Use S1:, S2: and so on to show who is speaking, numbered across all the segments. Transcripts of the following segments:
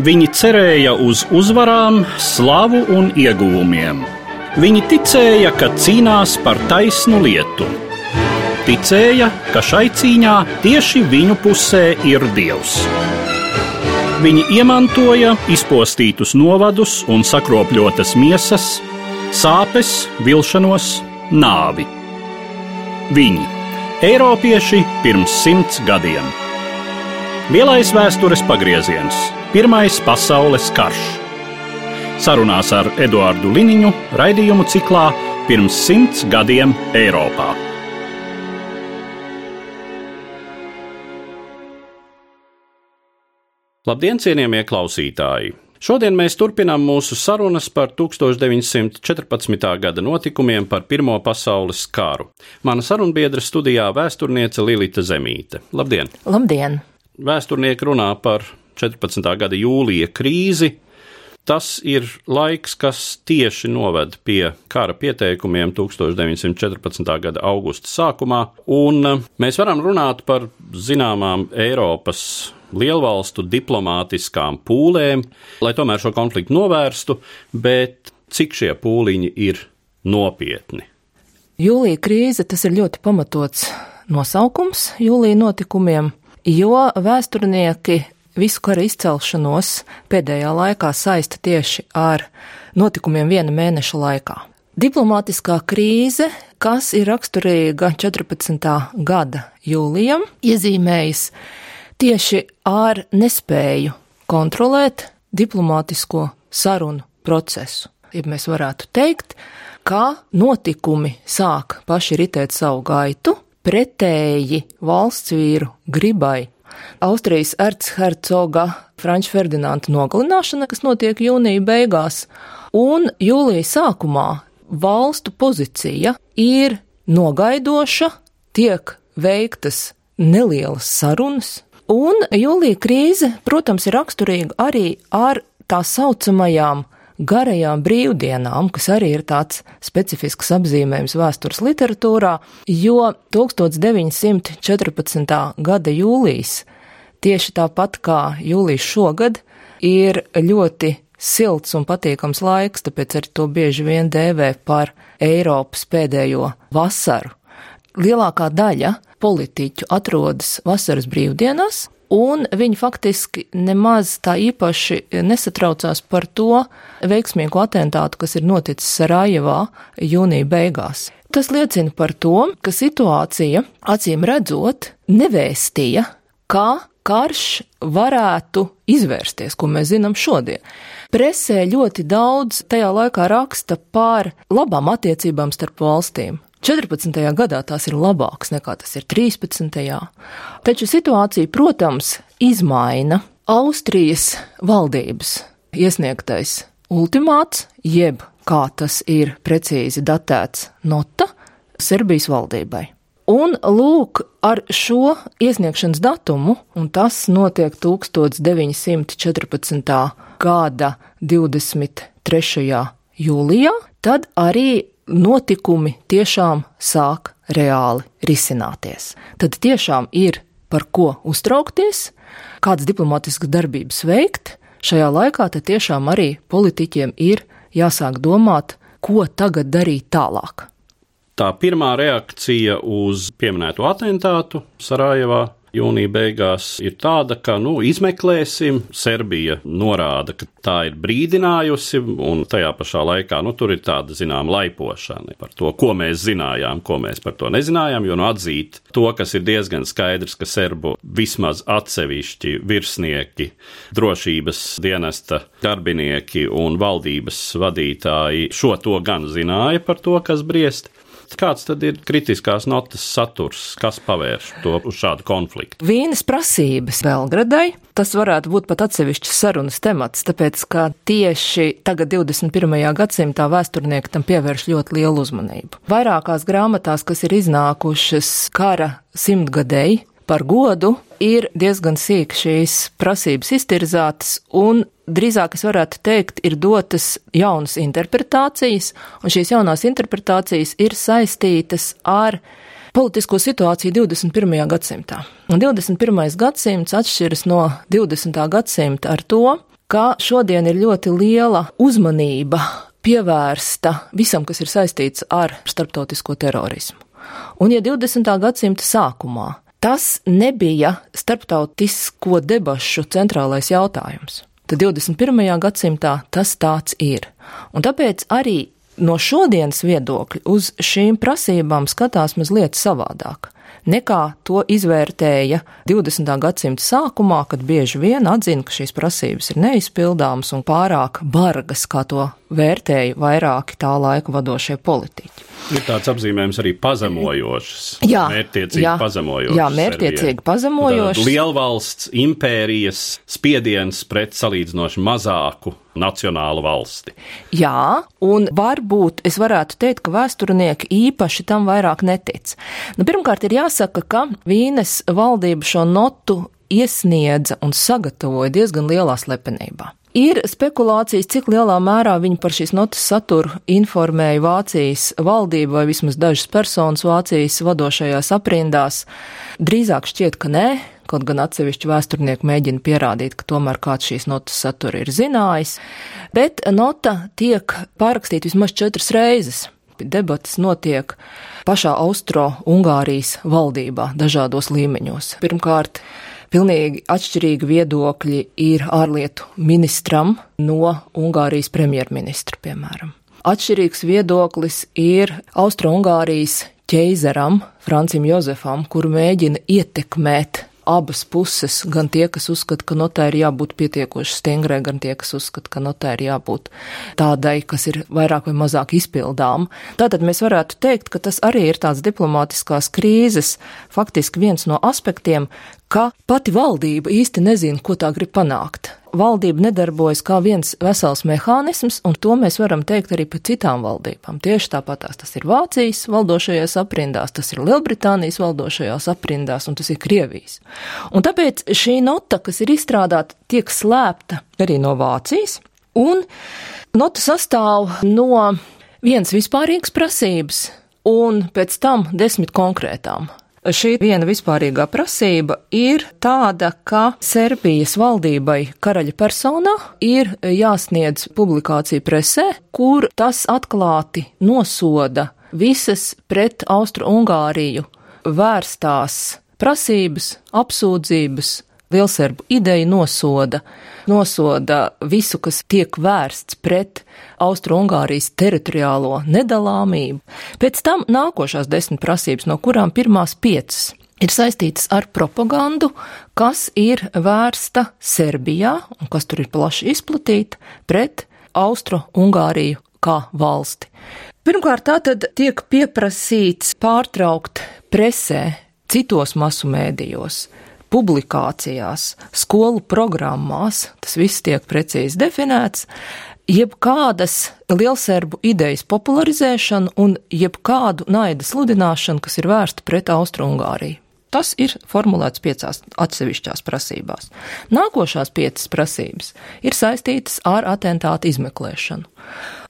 S1: Viņi cerēja uz uzvarām, slavu un ieguvumiem. Viņi ticēja, ka cīnās par taisnu lietu. Ticēja, ka šai cīņā tieši viņu pusē ir Dievs. Viņi iemantoja izpostītus novadus un sakropļotas miesas, sāpes, vilšanos, nāvi. Viņi, eiropieši pirms 100 gadiem. Lielais vēstures pagrieziens, Pirmais pasaules karš. Sarunās ar Eduardu Liniņu raidījumu ciklā Pirms 100 gadiem Eiropā. Labdien, cienījamie klausītāji! Šodien mēs turpinām mūsu sarunas par 1914. gada notikumiem par Pirmo pasaules karu. Mana sarunbiedra studijā vēsturniece Lilita Zemīte. Labdien!
S2: Labdien!
S1: Vēsturnieki runā par 14. gada jūlija krīzi. Tas ir laiks, kas tieši noved pie kara pieteikumiem 1914. gada augusta sākumā, un mēs varam runāt par zināmām Eiropas lielvalstu diplomātiskām pūlēm, lai tomēr šo konfliktu novērstu, bet cik šie pūliņi ir nopietni?
S2: Jūlija krīze, tas ir ļoti pamatots nosaukums jūlija notikumiem, jo vēsturnieki visu kara izcelšanos pēdējā laikā saista tieši ar notikumiem viena mēneša laikā. Diplomātiskā krīze, kas ir raksturīga 14. gada jūlijam, iezīmējas tieši ar nespēju kontrolēt diplomātisko sarunu procesu. Ja mēs varētu teikt, ka notikumi sāk paši ritēt savu gaitu, pretēji valsts vīru gribai. Austrijas erchercoga Franča Ferdinanda nogalināšana, kas notiek jūnija beigās, un jūlija sākumā valstu pozīcija ir nogaidoša, tiek veiktas nelielas sarunas, un jūlija krīze, protams, ir raksturīga arī ar tā saucamajām garajām brīvdienām, kas arī ir tāds specifisks apzīmējums vēstures literatūrā, jo 1914. gada jūlijs, tieši tāpat kā jūlijs šogad, ir ļoti silts un patīkams laiks, tāpēc arī to bieži vien dēvē par Eiropas pēdējo vasaru. Lielākā daļa politiķu atrodas vasaras brīvdienās, un viņi faktiski nemaz tā īpaši nesatraucās par to veiksmīgu atentātu, kas ir noticis Sarajevā jūnija beigās. Tas liecina par to, ka situācija, acīm redzot, nevēstīja, kā karš varētu izvērsties, ko mēs zinām šodien. Presē ļoti daudz tajā laikā raksta par labām attiecībām starp valstīm. 14. gadā tās ir labākas nekā tas ir 13. Taču situācija, protams, izmaina Austrijas valdības iesniegtais ultimāts, jeb, kā tas ir precīzi datēts, nota Serbijas valdībai. Un lūk, ar šo iesniegšanas datumu, un tas notiek 1914. gada 23. jūlijā, tad arī notikumi tiešām sāk reāli risināties. Tad tiešām ir par ko uztraukties, kādas diplomātiskas darbības veikt. Šajā laikā tad tiešām arī politiķiem ir jāsāk domāt, ko tagad darīt tālāk.
S1: Tā pirmā reakcija uz pieminēto atentātu Sarajevā jūnija beigās ir tāda, ka, izmeklēsim. Serbija norāda, ka tā ir brīdinājusi, un tajā pašā laikā, tur ir tāda, laipošana par to, ko mēs zinājām, ko mēs par to nezinājām, jo atzīt to, kas ir diezgan skaidrs, ka serbu vismaz atsevišķi virsnieki, drošības dienesta darbinieki un valdības vadītāji šo to gan zināja par to, kas briest. Kāds tad ir kritiskās notas saturs, kas pavērš to uz šādu konfliktu?
S2: Vīnes prasības Belgradai, tas varētu būt pat atsevišķs sarunas temats, tāpēc, ka tieši tagad 21. gadsimtā vēsturnieki tam pievērš ļoti lielu uzmanību. Vairākās grāmatās, kas ir iznākušas kara simtgadēji par godu, ir diezgan sīk šīs prasības iztirzātas, un drīzāk es varētu teikt, ir dotas jaunas interpretācijas, un šīs jaunās interpretācijas ir saistītas ar politisko situāciju 21. gadsimtā. Un 21. gadsimts atšķiras no 20. gadsimta ar to, ka šodien ir ļoti liela uzmanība pievērsta visam, kas ir saistīts ar starptautisko terorismu. Un ja 20. gadsimta sākumā tas nebija starptautisko debašu centrālais jautājums, tad 21. gadsimtā tas tāds ir. Un tāpēc arī no šodienas viedokļa uz šīm prasībām skatās mazliet savādāk, nekā to izvērtēja 20. gadsimta sākumā, kad bieži vien atzina, ka šīs prasības ir neizpildāmas un pārāk bargas, kā to vērtēja vairāki tā laika vadošie politiķi.
S1: Ir tāds apzīmējums arī pazemojošs. Mērķtiecīgi pazemojošs.
S2: Jā, mērķtiecīgi pazemojošs.
S1: Lielvalsts, impērijas spiediens pret salīdzinoši mazāku nacionālu valsti.
S2: Jā, un varbūt es varētu teikt, ka vēsturnieki īpaši tam vairāk netic. Pirmkārt ir jāsaka, ka Vīnes valdība šo notu iesniedza un sagatavoja diezgan lielā slepenībā. Ir spekulācijas, cik lielā mērā viņi par šīs notas saturu informēja Vācijas valdību vai vismaz dažas personas Vācijas vadošajās aprindās. Drīzāk šķiet, ka nē, kaut gan atsevišķi vēsturnieki mēģina pierādīt, ka tomēr kāds šīs notas satura ir zinājis. Bet nota tiek pārrakstīta vismaz 4 reizes. Debates notiek pašā Austro-Ungārijas valdībā dažādos līmeņos. Pirmkārt, pilnīgi atšķirīgi viedokļi ir ārlietu ministram no Ungārijas premjerministra, piemēram. Atšķirīgs viedoklis ir Austro-Ungārijas ķeizaram, Francim Jozefam, kuru mēģina ietekmēt abas puses, gan tie, kas uzskata, ka notai ir jābūt pietiekoši stingrai, gan tie, kas uzskata, ka notai ir jābūt tādai, kas ir vairāk vai mazāk izpildām. Tātad mēs varētu teikt, ka tas arī ir tāds diplomātiskās krīzes faktiski viens no aspektiem, ka pati valdība īsti nezina, ko tā grib panākt. Valdība nedarbojas kā viens vesels mehānisms, un to mēs varam teikt arī par citām valdībām. Tieši tāpatās tas ir Vācijas valdošajās aprindās, tas ir Lielbritānijas valdošajās aprindās, un tas ir Krievijas. Un tāpēc šī nota, kas ir izstrādāta, tiek slēpta arī no Vācijas, un nota sastāv no vienas vispārīgas prasības, un pēc tam 10 konkrētām. Šī viena vispārīgā prasība ir tāda, ka Serbijas valdībai karaļa personā ir jāsniedz publikācija presē, kur tas atklāti nosoda visas pret Austro-Ungāriju vērstās prasības, apsūdzības. Lielserbu ideja nosoda visu, kas tiek vērsts pret Austro-Ungārijas teritoriālo nedalāmību. Pēc tam nākošās 10 prasības, no kurām pirmās 5 ir saistītas ar propagandu, kas ir vērsta Serbijā, un kas tur ir plaši izplatīta, pret Austro-Ungāriju kā valsti. Pirmkārt, tātad tiek pieprasīts pārtraukt presē, citos masu mēdījos, publikācijās, skolu programmās, tas viss tiek precīzi definēts, jebkādas lielserbu idejas popularizēšanu un jebkādu naida sludināšanu, kas ir vērsta pret Austro-Ungāriju. Tas ir formulēts 5 atsevišķās prasībās. Nākošās 5 prasības ir saistītas ar atentātu izmeklēšanu.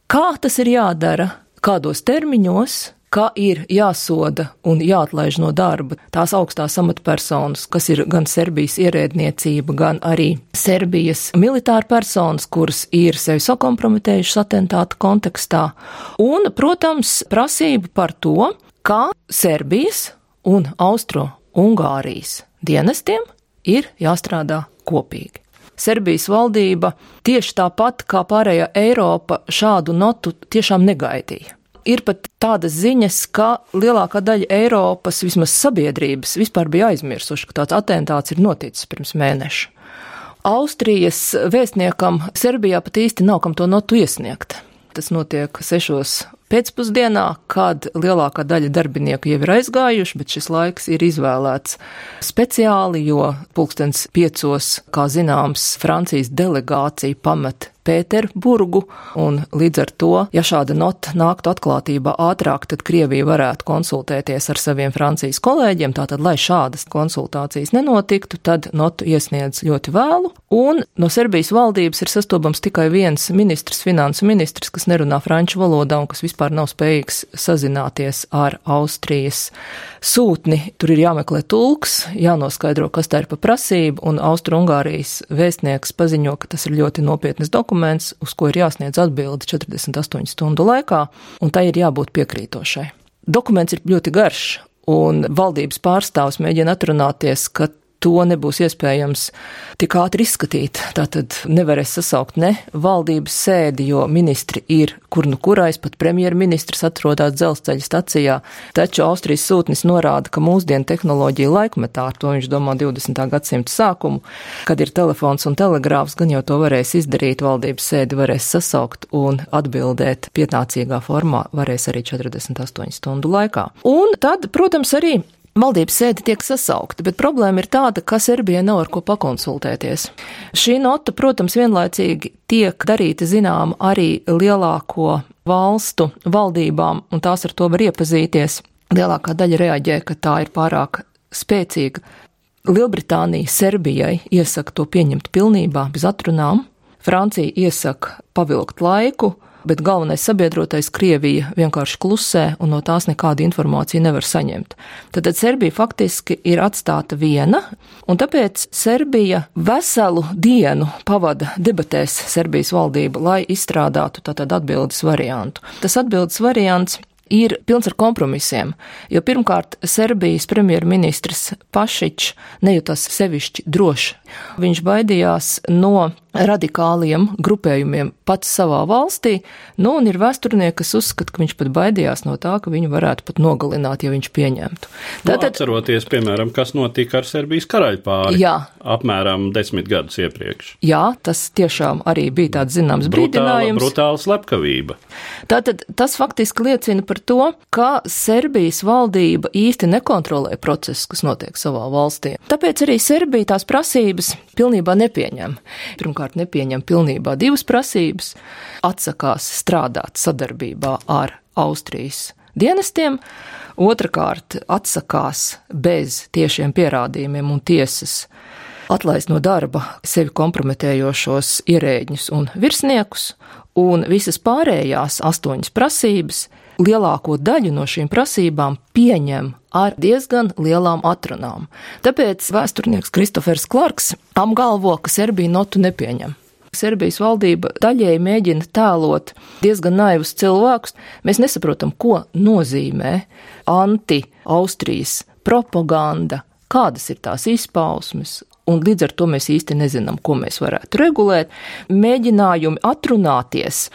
S2: Kā tas ir jādara, kādos termiņos, kā ir jāsoda un jāatlaiž no darba tās augstās amatpersonas, kas ir gan Serbijas ierēdniecība, gan arī Serbijas militāra personas, kuras ir sevi sakompromitējušas atentāta kontekstā. Un, protams, prasība par to, kā Serbijas un Austro-Ungārijas dienestiem ir jāstrādā kopīgi. Serbijas valdība tieši tāpat kā pārējā Eiropa šādu notu tiešām negaidīja. Ir pat tādas ziņas, ka lielākā daļa Eiropas, vismaz sabiedrības, vispār bija aizmirsuši, ka tāds atentāts ir noticis pirms mēneša. Austrijas vēstniekam Serbijā pat īsti nav kam to notu iesniegt. Tas notiek 6 pēcpusdienā, kad lielākā daļa darbinieku jau ir aizgājuši, bet šis laiks ir izvēlēts speciāli, jo 5:30, kā zināms, Francijas delegācija pamet Pēterburgu, un līdz ar to, ja šāda nota nāktu atklātībā ātrāk, tad Krievija varētu konsultēties ar saviem Francijas kolēģiem, tātad, lai šādas konsultācijas nenotiktu, tad notu iesniedz ļoti vēlu, un no Serbijas valdības ir sastopams tikai viens ministrs, finansu ministrs, kas nerunā franču valodā un kas vispār nav spējīgs sazināties ar Austrijas sūtni. Tur ir jāmeklē tulks, jānoskaidro, kas tā ir pa prasību, un Austru-Ungārijas vēstnieks paziņo, ka tas ir ļoti nopietnas dokuments, uz ko ir jāsniedz atbildi 48 stundu laikā, un tai ir jābūt piekrītošai. Dokuments ir ļoti garš, un valdības pārstāvs mēģina atrunāties, ka to nebūs iespējams tik ātri izskatīt. Tātad nevarēs sasaukt ne valdības sēdi, jo ministri ir kur nu kurais, pat premjerministrs atrodas dzelzceļa stacijā. Taču Austrijas sūtnis norāda, ka mūsdienu tehnoloģija laikmetā, ar to viņš domā 20. gadsimta sākumu, kad ir telefons un telegrāfs, gan jau to varēs izdarīt, valdības sēdi varēs sasaukt un atbildēt pietnācīgā formā varēs arī 48 stundu laikā. Un tad, protams, arī valdības sēde tiek sasaukta, bet problēma ir tāda, ka Serbijai nav ar ko pakonsultēties. Šī nota, protams, vienlaicīgi tiek darīta zinām arī lielāko valstu valdībām, un tās ar to var iepazīties. Lielākā daļa reaģē, ka tā ir pārāk spēcīga. Lielbritānija Serbijai iesaka to pieņemt pilnībā, bez atrunām. Francija iesaka pavilkt laiku, bet galvenais sabiedrotais Krievija vienkārši klusē un no tās nekādu informāciju nevar saņemt. Tad Serbija faktiski ir atstāta viena, un tāpēc Serbija veselu dienu pavada debatēs Serbijas valdība, lai izstrādātu tātad atbildes variantu. Tas atbildes variants ir pilns ar kompromisiem, jo pirmkārt Serbijas premjerministrs Pašičs nejūtas sevišķi droši. Viņš baidījās no radikāliem grupējumiem pats savā valstī, un ir vēsturnieki, kas uzskata, ka viņš pat baidījās no tā, ka viņu varētu pat nogalināt, ja viņš pieņemtu.
S1: Tātad, atceroties, piemēram, kas notika ar Serbijas karaļpāri apmēram 10 gadus iepriekš.
S2: Jā, tas tiešām arī bija tāds zināms brīdinājums.
S1: Brutāla slepkavība.
S2: Tātad tas faktiski liecina par to, ka Serbijas valdība īsti nekontrolē procesus, kas notiek savā valstī. Tāpēc arī Serbija tās prasības pilnībā nepieņem. Pirmkārt, nepieņem pilnībā divas prasības, atsakās strādāt sadarbībā ar Austrijas dienestiem, otrakārt, atsakās bez tiešiem pierādījumiem un tiesas atlaist no darba sevi kompromitējošos ierēģņus un virsniekus, un visas pārējās 8 prasības, lielāko daļu no šīm prasībām pieņem ar diezgan lielām atrunām. Tāpēc vēsturnieks Kristofers Klarks apgalvo, ka Serbija notu nepieņem. Serbijas valdība daļēji mēģina tēlot diezgan naivus cilvēkus. Mēs nesaprotam, ko nozīmē anti-Austrijas propaganda, kādas ir tās izpausmes, un līdz ar to mēs īsti nezinām, ko mēs varētu regulēt. Mēģinājumi atrunāties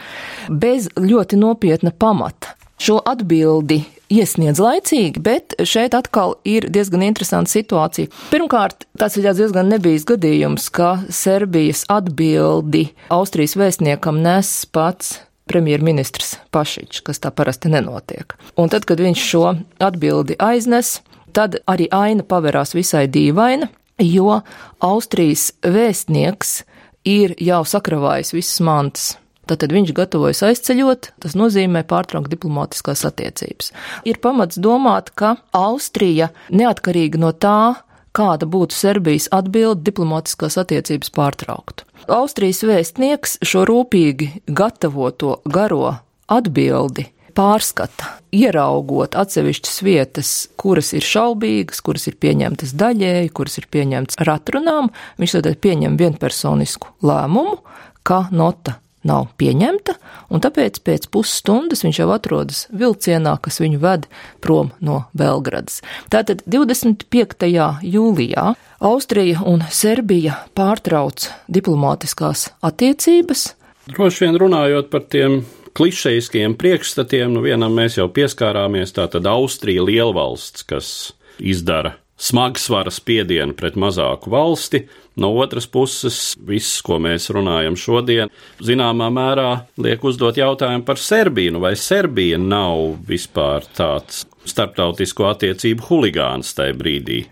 S2: bez ļoti nopietna pamata. Šo atbildi iesniedz laicīgi, bet šeit atkal ir diezgan interesanta situācija. Pirmkārt, tas ir diezgan nebijis gadījums, ka Serbijas atbildi Austrijas vēstniekam nes pats premjerministrs Pašičs, kas tā parasti nenotiek. Un tad, kad viņš šo atbildi aiznes, tad arī aina paverās visai dīvaina, jo Austrijas vēstnieks ir jau sakravājis visas mantas. Tātad viņš gatavojas aizceļot, tas nozīmē pārtraukt diplomātiskās attiecības. Ir pamats domāt, ka Austrija, neatkarīgi no tā, kāda būtu Serbijas atbilde, diplomātiskās attiecības pārtrauktu. Austrijas vēstnieks šo rūpīgi gatavoto garo atbildi pārskata, ieraugot atsevišķas vietas, kuras ir šaubīgas, kuras ir pieņemtas daļēji, kuras ir pieņemtas ar atrunām. Viņš tad pieņem vienpersonisku lēmumu, ka nota nav pieņemta, un tāpēc pēc pusstundas viņš jau atrodas vilcienā, kas viņu ved prom no Belgradas. Tātad 25. jūlijā Austrija un Serbija pārtrauc diplomātiskās attiecības.
S1: Droši vien runājot par tiem klišejiskajiem priekšstatiem, vienam mēs jau pieskārāmies, tātad Austrija lielvalsts, kas izdara smagsvara spiedienu pret mazāku valsti. No otras puses, viss, ko mēs runājam šodien, zināmā mērā liek uzdot jautājumu par Serbiju. Vai Serbija nav vispār tāds starptautisko attiecību huligāns tajā brīdī.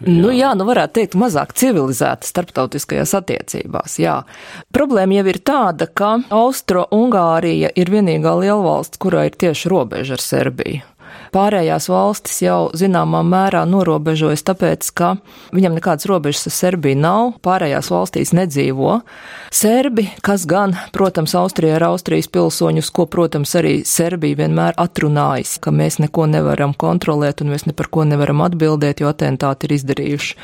S2: Varētu teikt, mazāk civilizēta starptautiskajās attiecībās, jā. Problēma jau ir tāda, ka Austro-Ungārija ir vienīgā lielvalsts, kurā ir tieši robeža ar Serbiju. Pārējās valstis jau zināmā mērā norobežojas, tāpēc, ka viņam nekādas robežas ar Serbiju nav, pārējās valstīs nedzīvo serbi, kas gan, protams, Austrija ir Austrijas pilsoņus, ko, protams, arī Serbija vienmēr atrunājas, ka mēs neko nevaram kontrolēt un mēs ne par ko nevaram atbildēt, jo atentāti ir izdarījuši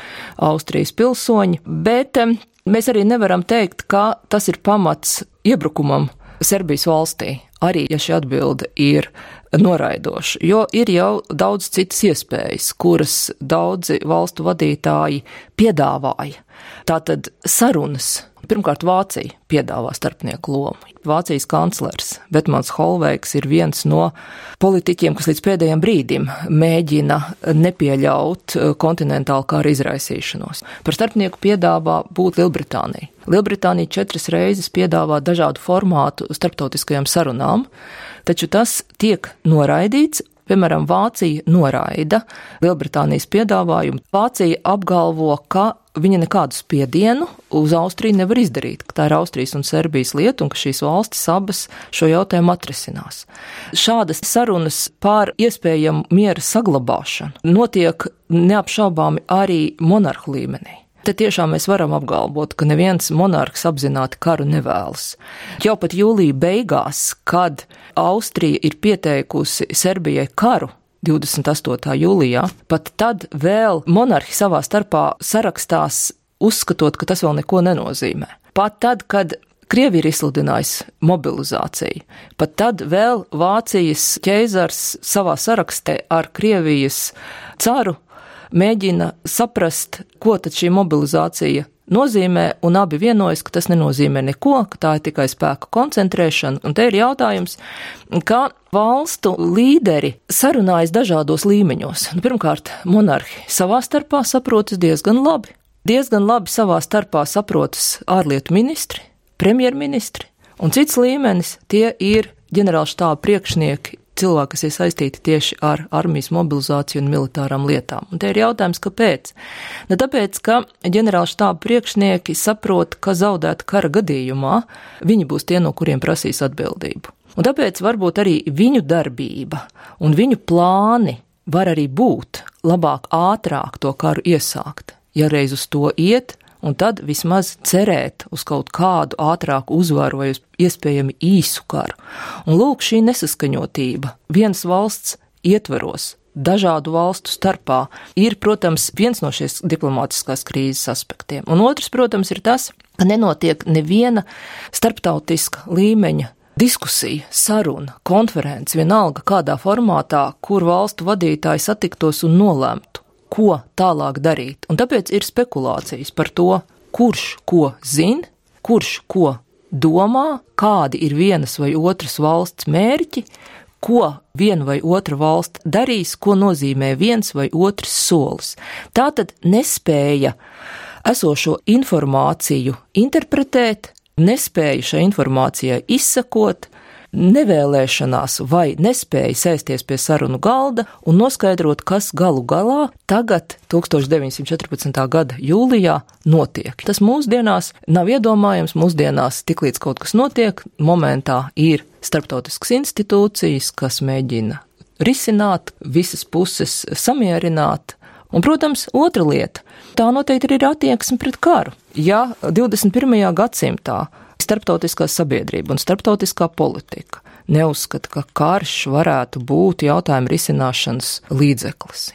S2: Austrijas pilsoņi, bet mēs arī nevaram teikt, ka tas ir pamats iebrukumam Serbijas valstī, arī, ja šī atbilde ir noraidoša, jo ir jau daudz citas iespējas, kuras daudzi valstu vadītāji piedāvāja. Tātad sarunas. Pirmkārt, Vācija piedāvā starpnieku lomu. Vācijas kanclers Vetmans Holveigs ir viens no politiķiem, kas līdz pēdējiem brīdim mēģina nepieļaut kontinentālu kara izraisīšanos. Par starpnieku piedāvā būt Lielbritānija. Lielbritānija 4 reizes piedāvā dažādu formātu starptautiskajām sarunām, taču tas tiek noraidīts. Piemēram, Vācija noraida Lielbritānijas piedāvājumu. Vācija apgalvo, ka viņa nekādu spiedienu uz Austriju nevar izdarīt, ka tā ir Austrijas un Serbijas lieta un ka šīs valstis abas šo jautājumu atrisinās. Šādas sarunas par iespējamu miera saglabāšanu notiek neapšaubāmi arī monarhu līmenī. Te tiešām mēs varam apgalvot, ka neviens monarhs apzināti karu nevēlas. Jau pat jūlija beigās, kad Austrija ir pieteikusi Serbijai karu 28. jūlijā, pat tad vēl monarhi savā starpā sarakstās, uzskatot, ka tas vēl neko nenozīmē. Pat tad, kad Krievija ir izsludinājusi mobilizāciju, pat tad vēl Vācijas ķeizars savā sarakstē ar Krievijas caru mēģina saprast, ko tad šī mobilizācija nozīmē, un abi vienojas, ka tas nenozīmē neko, ka tā ir tikai spēku koncentrēšana. Un te ir jautājums, ka valstu līderi sarunājas dažādos līmeņos. Pirmkārt, monarhi savā starpā saprotas diezgan labi. Diezgan labi savā starpā saprotas ārlietu ministri, premjerministri, un cits līmenis tie ir ģenerālštāba priekšnieki, cilvēki, kas ir saistīti tieši ar armijas mobilizāciju un militārām lietām. Un te ir jautājums, kāpēc? Tāpēc, ka ģenerālštāba priekšnieki saprot, ka zaudēta kara gadījumā viņi būs tie, no kuriem prasīs atbildību. Un tāpēc varbūt arī viņu darbība un viņu plāni var arī būt labāk, ātrāk to karu iesākt, ja reiz uz to iet, un tad vismaz cerēt uz kaut kādu ātrāku uzvaru vai uz iespējami īsu karu. Un lūk, šī nesaskaņotība vienas valsts ietvaros, dažādu valstu starpā, ir, protams, viens no šīs diplomātiskās krīzes aspektiem. Un otrs, protams, ir tas, ka nenotiek neviena starptautiska līmeņa diskusija, saruna, konference, vienalga kādā formātā, kur valstu vadītāji satiktos un nolemtu, ko tālāk darīt. Un tāpēc ir spekulācijas par to, kurš ko zina, kurš ko domā, kādi ir vienas vai otras valsts mērķi, ko viena vai otra valsts darīs, ko nozīmē viens vai otrs solis. Tātad nespēja esošo informāciju interpretēt, nespēja šai informācijai izsakot, nevēlēšanās vai nespēja sēsties pie sarunu galda un noskaidrot, kas galu galā tagad 1914. gada jūlijā notiek. Tas mūsdienās nav iedomājams, mūsdienās tiklīdz kaut kas notiek, momentā ir starptautiskas institūcijas, kas mēģina risināt, visas puses samierināt. Un, protams, otra lieta, tā noteikti ir attieksme pret karu. Ja 21. gadsimtā starptautiskā sabiedrība un starptautiskā politika neuzskata, ka karš varētu būt jautājuma risināšanas līdzeklis.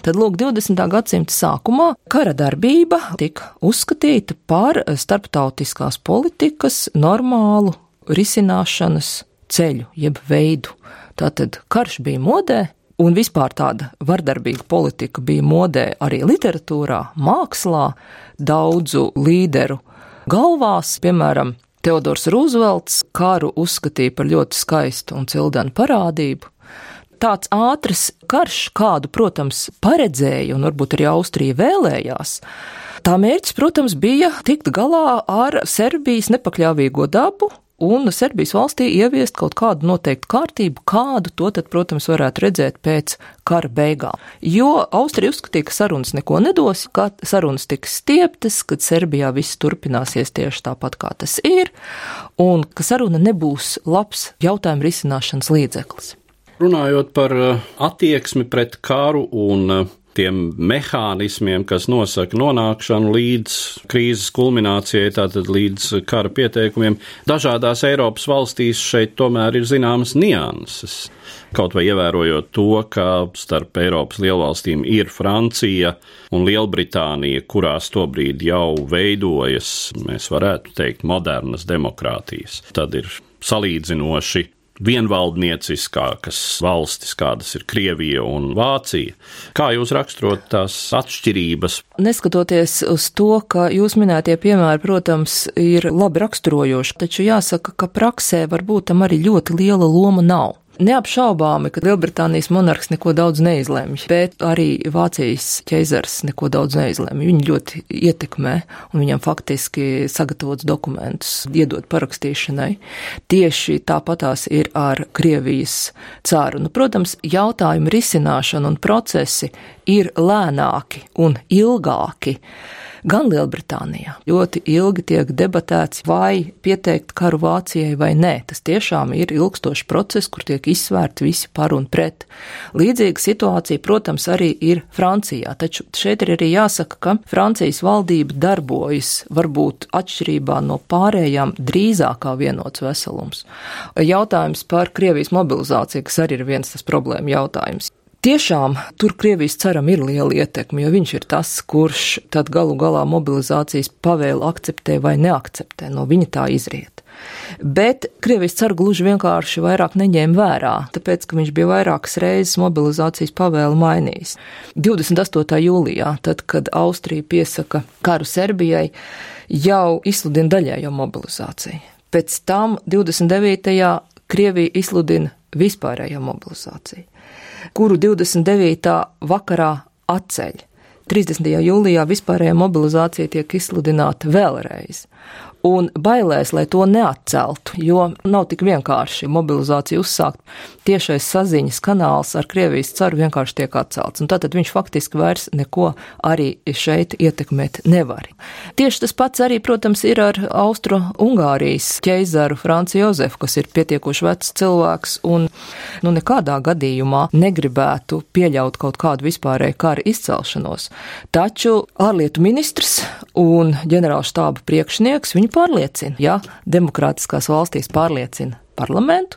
S2: Tad, lūk, 20. gadsimta sākumā kara darbība tika uzskatīta par starptautiskās politikas normālu risināšanas ceļu, jeb veidu. Tātad karš bija modē, un vispār tāda vardarbīga politika bija modē arī literatūrā, mākslā, daudzu līderu galvās, piemēram, Teodors Rūzvelts karu uzskatīja par ļoti skaistu un cildenu parādību. Tāds ātrs karš, kādu, protams, paredzēja un varbūt arī Austrija vēlējās, tā mērķis, protams, bija tikt galā ar Serbijas nepakļāvīgo dabu un Serbijas valstī ieviest kaut kādu noteiktu kārtību, kādu to tad, protams, varētu redzēt pēc kara beigām. Jo Austrija uzskatīja, ka sarunas neko nedos, ka sarunas tiks stieptas, kad Serbijā viss turpināsies tieši tāpat, kā tas ir, un ka saruna nebūs labs jautājumu risināšanas līdzeklis.
S1: Runājot par attieksmi pret karu un tiem mehānismiem, kas nosaka nonākšanu līdz krīzes kulminācijai, tātad līdz kara pieteikumiem, dažādās Eiropas valstīs šeit tomēr ir zināmas nianses. Kaut vai ievērojot to, ka starp Eiropas lielvalstīm ir Francija un Lielbritānija, kurās tobrīd jau veidojas, mēs varētu teikt, modernas demokrātijas. Tad ir salīdzinoši vienvaldnieciskākas valstis, kādas ir Krievija un Vācija. Kā jūs raksturot tās atšķirības?
S2: Neskatoties uz to, ka jūs minētie piemēri, protams, ir labi raksturojoši, taču jāsaka, ka praksē varbūt tam arī ļoti liela loma nav. Neapšaubāmi, ka Lielbritānijas monarhs neko daudz neizlemj, bet arī Vācijas ķeizars neko daudz neizlemj. Viņu ļoti ietekmē un viņam faktiski sagatavots dokumentus iedot parakstīšanai. Tieši tāpatās ir ar Krievijas cāru. Protams, jautājumu risināšana un procesi ir lēnāki un ilgāki. Gan Lielbritānijā ļoti ilgi tiek debatēts, vai pieteikt karu Vācijai vai nē. Tas tiešām ir ilgstošs process, kur tiek izsvērti visi par un pret. Līdzīga situācija, protams, arī ir Francijā, taču šeit ir arī jāsaka, ka Francijas valdība darbojas varbūt atšķirībā no pārējām drīzāk kā vienots veselums. Jautājums par Krievijas mobilizāciju, kas arī ir viens tas problēma jautājums. Tiešām tur Krievijas caram ir liela ietekme, jo viņš ir tas, kurš tad galu galā mobilizācijas pavēlu akceptē vai neakceptē, no viņa tā izriet. Bet Krievijas caru gluži vienkārši vairāk neņēma vērā, tāpēc, ka viņš bija vairākas reizes mobilizācijas pavēlu mainījis. 28. jūlijā, tad, kad Austrija piesaka karu Serbijai, jau izsludina daļējo mobilizāciju. Pēc tam 29. Krievija izsludina vispārējo mobilizāciju, kuru 29. vakarā atceļ. 30. jūlijā vispārējā mobilizācija tiek izsludināta vēlreiz. Un bailēs, lai to neatceltu, jo nav tik vienkārši mobilizāciju uzsākt, tiešais saziņas kanāls ar Krievijas caru vienkārši tiek atcelts. Un tātad viņš faktiski vairs neko arī šeit ietekmēt nevar. Tieši tas pats arī, protams, ir ar Austro-Ungārijas ķeizaru Franci Jozefu, kas ir pietiekoši vecs cilvēks un nekādā gadījumā negribētu pieļaut kaut kādu vispārēju kara izcelšanos. Taču ārlietu ministrs un ģenerālštāba priekšnieks viņu pārliecina. Ja demokrātiskās valstīs pārliecina parlamentu,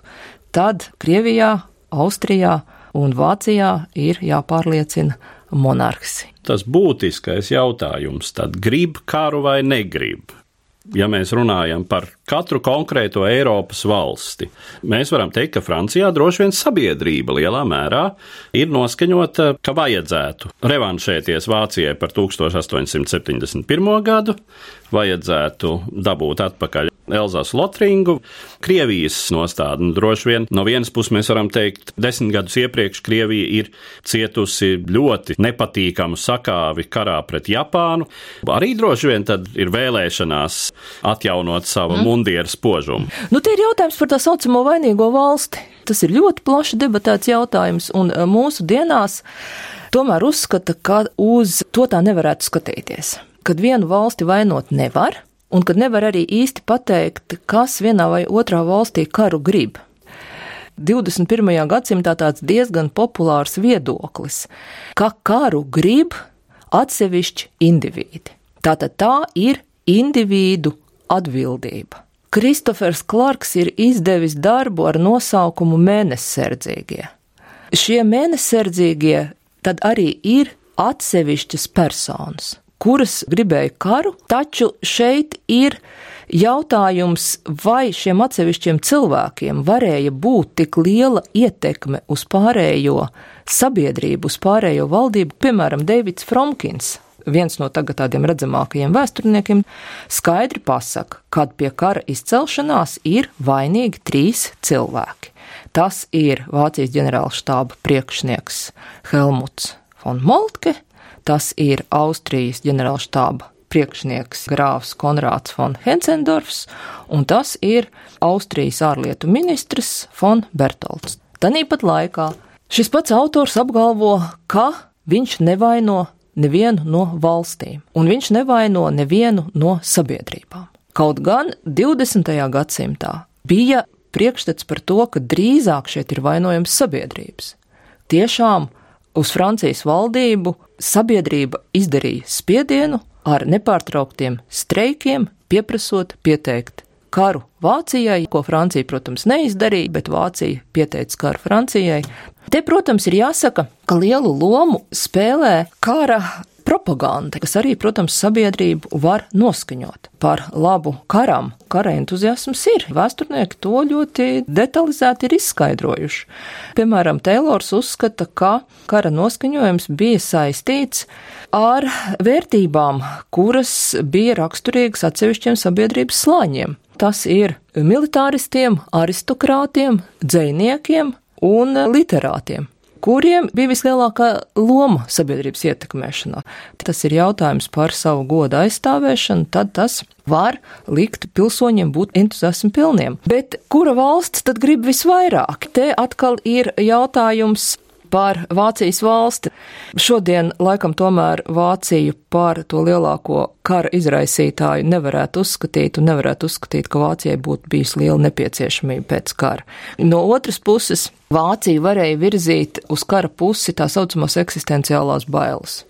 S2: tad Krievijā, Austrijā un Vācijā ir jāpārliecina monarhs.
S1: Tas būtiskais jautājums tad grib karu vai negrib? Ja mēs runājam par katru konkrēto Eiropas valsti, mēs varam teikt, ka Francijā droši vien sabiedrība lielā mērā ir noskaņota, ka vajadzētu revanšēties Vācijai par 1871. gadu, vajadzētu dabūt atpakaļ Elzasu-Lotringu. Krievijas nostāda droši vien no vienas puses mēs varam teikt, 10 gadus iepriekš Krievija ir cietusi ļoti nepatīkamu sakāvi karā pret Japānu. Arī droši vien tad ir vēlēšanās atjaunot savu mundieru spožumu.
S2: Te ir jautājums par tā saucamo vainīgo valsti. Tas ir ļoti plaši debatēts jautājums, un mūsu dienās tomēr uzskata, ka uz to tā nevarētu skatīties. Kad vienu valsti vainot nevar, un kad nevar arī īsti pateikt, kas vienā vai otrā valstī karu grib. 21. gadsimtā tāds diezgan populārs viedoklis, ka karu grib atsevišķi indivīdi. Tātad tā ir individu atbildība. Kristofers Klarks ir izdevis darbu ar nosaukumu Mēnessardzīgie. Šie mēnessardzīgie tad arī ir atsevišķas personas, kuras gribēja karu, taču šeit ir jautājums, vai šiem atsevišķiem cilvēkiem varēja būt tik liela ietekme uz pārējo sabiedrību, uz pārējo valdību. Piemēram, Deivids Fromkins, viens no tagad tādiem redzamākajiem vēsturniekiem, skaidri pasaka, kad pie kara izcelšanās ir vainīgi 3 cilvēki. Tas ir Vācijas ģenerālštāba priekšnieks Helmuts von Moltke, tas ir Austrijas ģenerālštāba priekšnieks grāfs Konrāds von Hetzendorfs, un tas ir Austrijas ārlietu ministrs von Bertolds. Tanīpat laikā šis pats autors apgalvo, ka viņš nevaino nevienu no valstīm, un viņš nevaino nevienu no sabiedrībām. Kaut gan 20. gadsimtā bija priekšstats par to, ka drīzāk šeit ir vainojams sabiedrības. Tiešām uz Francijas valdību sabiedrība izdarīja spiedienu ar nepārtrauktiem streikiem, pieprasot pieteikt karu Vācijai, ko Francija, protams, neizdarīja, bet Vācija pieteica karu Francijai. Te, protams, ir jāsaka, ka lielu lomu spēlē kara propaganda, kas arī, protams, sabiedrību var noskaņot par labu karam. Kara entuziasms ir. Vēsturnieki to ļoti detalizēti ir izskaidrojuši. Piemēram, Teilors uzskata, ka kara noskaņojums bija saistīts ar vērtībām, kuras bija raksturīgas atsevišķiem sabiedrības slāņiem. Tas ir militāristiem, aristokrātiem, dzejniekiem un literātiem, kuriem bija vislielākā loma sabiedrības ietekmēšanā. Tas ir jautājums par savu godu aizstāvēšanu, tad tas var likt pilsoņiem būt entuziasmu pilniem. Bet kura valsts tad grib visvairāk? Te atkal ir jautājums par Vācijas valsti. Šodien laikam tomēr Vāciju par to lielāko kara izraisītāju nevarētu uzskatīt, ka Vācijai būtu bijis liela nepieciešamība pēc kara. No otras puses, Vācija varēja virzīt uz kara pusi tā saucamās eksistenciālās bailes.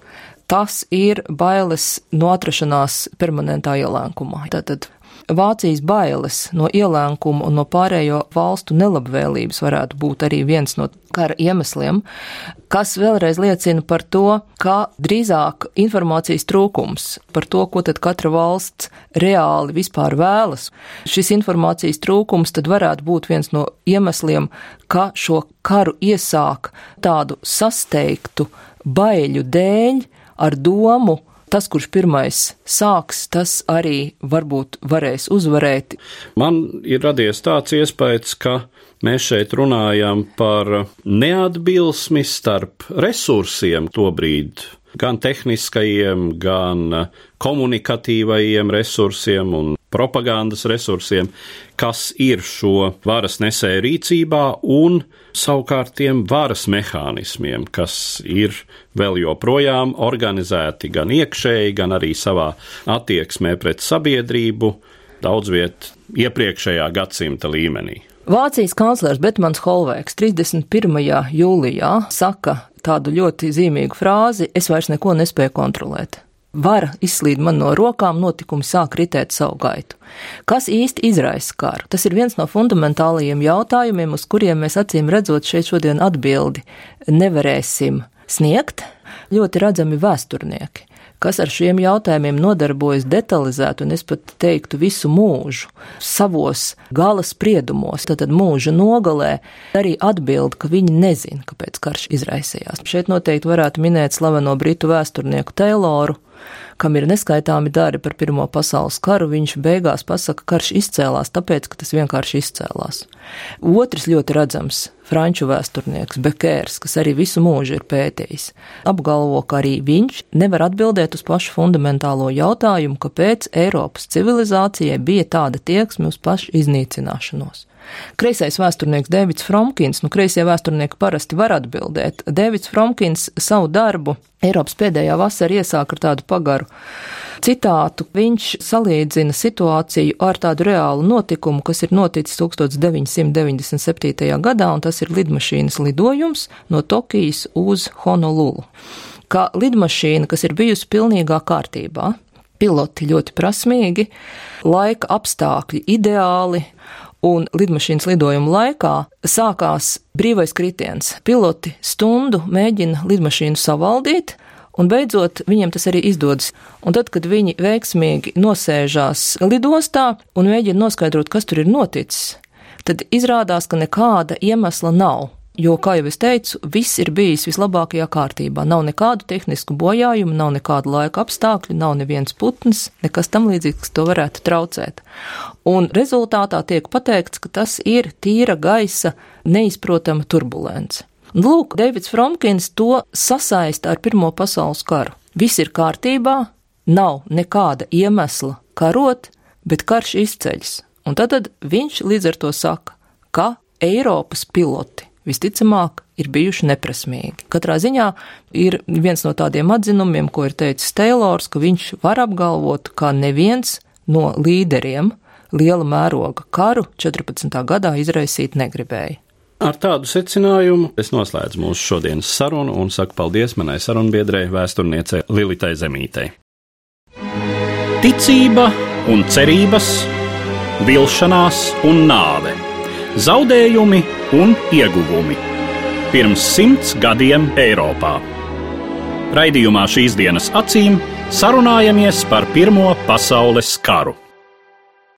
S2: Tas ir bailes no atrašanās permanentā ielēkumā. Tātad Vācijas bailes no ielēkuma un no pārējo valstu nelabvēlības varētu būt arī viens no kara iemesliem, kas vēlreiz liecina par to, ka drīzāk informācijas trūkums par to, ko tad katra valsts reāli vispār vēlas. Šis informācijas trūkums tad varētu būt viens no iemesliem, ka šo karu iesāk tādu sasteigtu baiļu dēļ ar domu, tas, kurš pirmais sāks, tas arī varbūt varēs uzvarēt.
S1: Man ir radies tāds iespējas, ka mēs šeit runājam par neatbilsmi starp resursiem tobrīd, gan tehniskajiem, gan komunikatīvajiem resursiem un propagandas resursiem, kas ir šo varas nesēju rīcībā, un savukārt tiem varas mehānismiem, kas ir vēl joprojām organizēti gan iekšēji, gan arī savā attieksmē pret sabiedrību, daudz viet iepriekšējā gadsimta līmenī.
S2: Vācijas kanclers Betmans Holvēks 31. jūlijā saka tādu ļoti zīmīgu frāzi: es vairs neko nespēju kontrolēt. Vara izslīd man no rokām, notikumi sāk ritēt savu gaitu. Kas īsti izraisa karu? Tas ir viens no fundamentālajiem jautājumiem, uz kuriem mēs acīm redzot šeit šodien atbildi nevarēsim sniegt. Ļoti redzami vēsturnieki, kas ar šiem jautājumiem nodarbojas detalizēti, un es pat teiktu visu mūžu, savos gala spriedumos, tad mūža nogalē arī atbild, ka viņi nezina, kāpēc karš izraisījās. Šeit noteikti varētu minēt slaveno britu vēsturnieku Tayloru, kam ir neskaitāmi dari par Pirmo pasaules karu. Viņš beigās pasaka, ka karš izcēlās tāpēc, ka tas vienkārši izcēlās. Otrs ļoti redzams franču vēsturnieks Bekērs, kas arī visu mūžu ir pētījis, apgalvo, ka arī viņš nevar atbildēt uz pašu fundamentālo jautājumu, kāpēc Eiropas civilizācijai bija tāda tieksme uz pašu iznīcināšanos. Kreisais vēsturnieks Dēvids Fromkins, kreisie vēsturnieki parasti var atbildēt. Dēvids Fromkins savu darbu Eiropas pēdējā vasara iesāk ar tādu pagaru citātu. Viņš salīdzina situāciju ar tādu reālu notikumu, kas ir noticis 1997. gadā, un tas ir lidmašīnas lidojums no Tokijas uz Honolulu. Kā lidmašīna, kas ir bijusi pilnīgā kārtībā, piloti ļoti prasmīgi, laika apstākļi ideāli, un lidmašīnas lidojuma laikā sākās brīvais kritiens. Piloti stundu mēģina lidmašīnu savaldīt, un beidzot viņiem tas arī izdodas. Un tad, kad viņi veiksmīgi nosēžās lidostā un mēģina noskaidrot, kas tur ir noticis, tad izrādās, ka nekāda iemesla nav. Jo, kā jau es teicu, viss ir bijis vislabākajā kārtībā. Nav nekādu tehnisku bojājumu, nav nekādu laika apstākļu, nav neviens putns, nekas tam līdzīgs, kas to varētu traucēt. Un rezultātā tiek pateikts, ka tas ir tīra gaisa neizprotama turbulence. Lūk, Deivids Fromkins to sasaista ar Pirmo pasaules karu. Viss ir kārtībā, nav nekāda iemesla karot, bet karš izceļas. Un tad viņš līdz ar to saka, ka Eiropas piloti visticamāk ir bijuši neprasmīgi. Katrā ziņā ir viens no tādiem atzinumiem, ko ir teicis Taylors, ka viņš var apgalvot, ka neviens no līderiem liela mēroga karu 14. gadā izraisīt negribēja.
S1: Ar tādu secinājumu es noslēdzu mūsu šodienas sarunu un saku paldies manai sarunbiedrei, vēsturniecei Lilitai Zemītei. Ticība un cerības, vilšanās un nāve, zaudējumi un ieguvumi. Pirms 100 gadiem Eiropā. Raidījumā Šīs dienas acīm sarunājamies par Pirmo pasaules karu.